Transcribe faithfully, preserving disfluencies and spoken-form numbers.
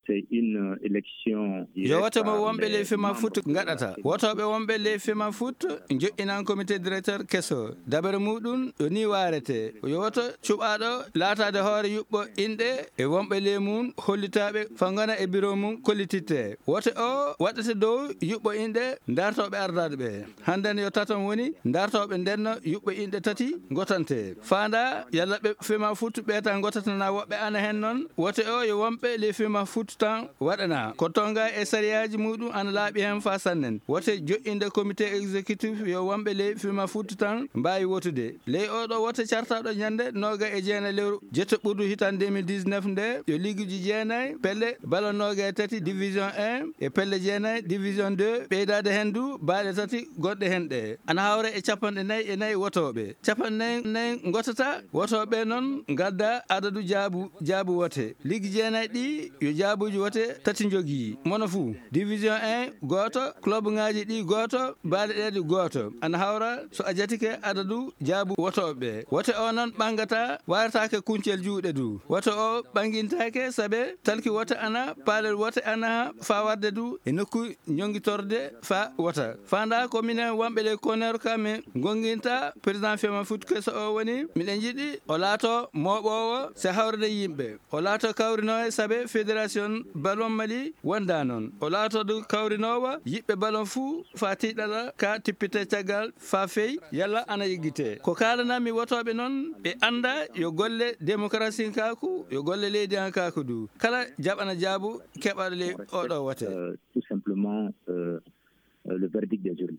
C'est une élection. Yo wote mo wonɓe ley Fema Foot ngaɗata. Wotooɓe wonɓe ley Fema Foot joƴƴinan comité directeur keso. Dabere muɗum yo ni waarete. Yo woto cuɓaaɗo laataade hoore yuɓɓo inɗe e wonɓe ley mum hollitaaɓe fa ngona e biro mum kollititte. Wote o waɗata dow yuɓɓo inɗe dartooɓe ardaaɗo ɓe. Hannden yo taton woni dartooɓe ndenno yuɓɓo inɗe tati ngotante. Faanda yalla ɓe Fema Foot ɓe tan ngotatana woɓɓe ana hen noon. Wote o yo wonɓe ley Fema Foot tan waɗana. Ko tonga e sariyaaji muɗum ana laaɓi hen fa sannen. Wote joƴƴinde comité exécutif yo wonɓe ley Fema Foot tan mbaawi wotude. Ley oɗo wote cartaɗo ñande nooga e jeenayi lewru jeetto ɓurdu hitan deux mille dix-neuf nde, yo liiguji jeenayi, pelle ballon nooga e tati division un e pelle jeenayi division deux, ɓeydaade hen du baaɗe tati gonɗe hen ɗe. Ana hawra e capanɗe nayi e nayi wotooɓe. Capanɗe nayi nayi ngotata wotooɓe noon ngadda adadu jaabu, jaabu wote. Liigi jeenayi ɗi yo jaabuji wote tati njogii. Mono fuu, division un gooto, club ŋaaji ɗi gooto, baaɗe ɗe ɗi gooto. Ana hawra so a jatike adadu jaabu wotooɓe. Wote o noon ɓangata, warataake kuncel juuɗe du. Wote o ɓangintaake sabe talki wote ana, paalel wote ana fa warde du e nokku njongitorde fa wota. Faanda ko minen wonɓe ley koneero ka min gonginta président Fema Foot keso o woni, miɗen jiɗi o laato mooɓoowo se hawrde yimɓe. O laato kawrinoowo sabe fédération ballon Mali wonda noon. O laato du kawrinoowo yiɓɓe ballon fuu fa tiiɗala ka tippite caggal fa fey yalla ana yiggite. Ko kaalanami wotooɓe noon ɓe annda yo golle démocratie kaaku, yo golle leydi an kaaku du. Kala jaɓana jaabu keɓaɗo ley oɗo wote. Euh, tout simplement, euh, euh, le verdict des urnes.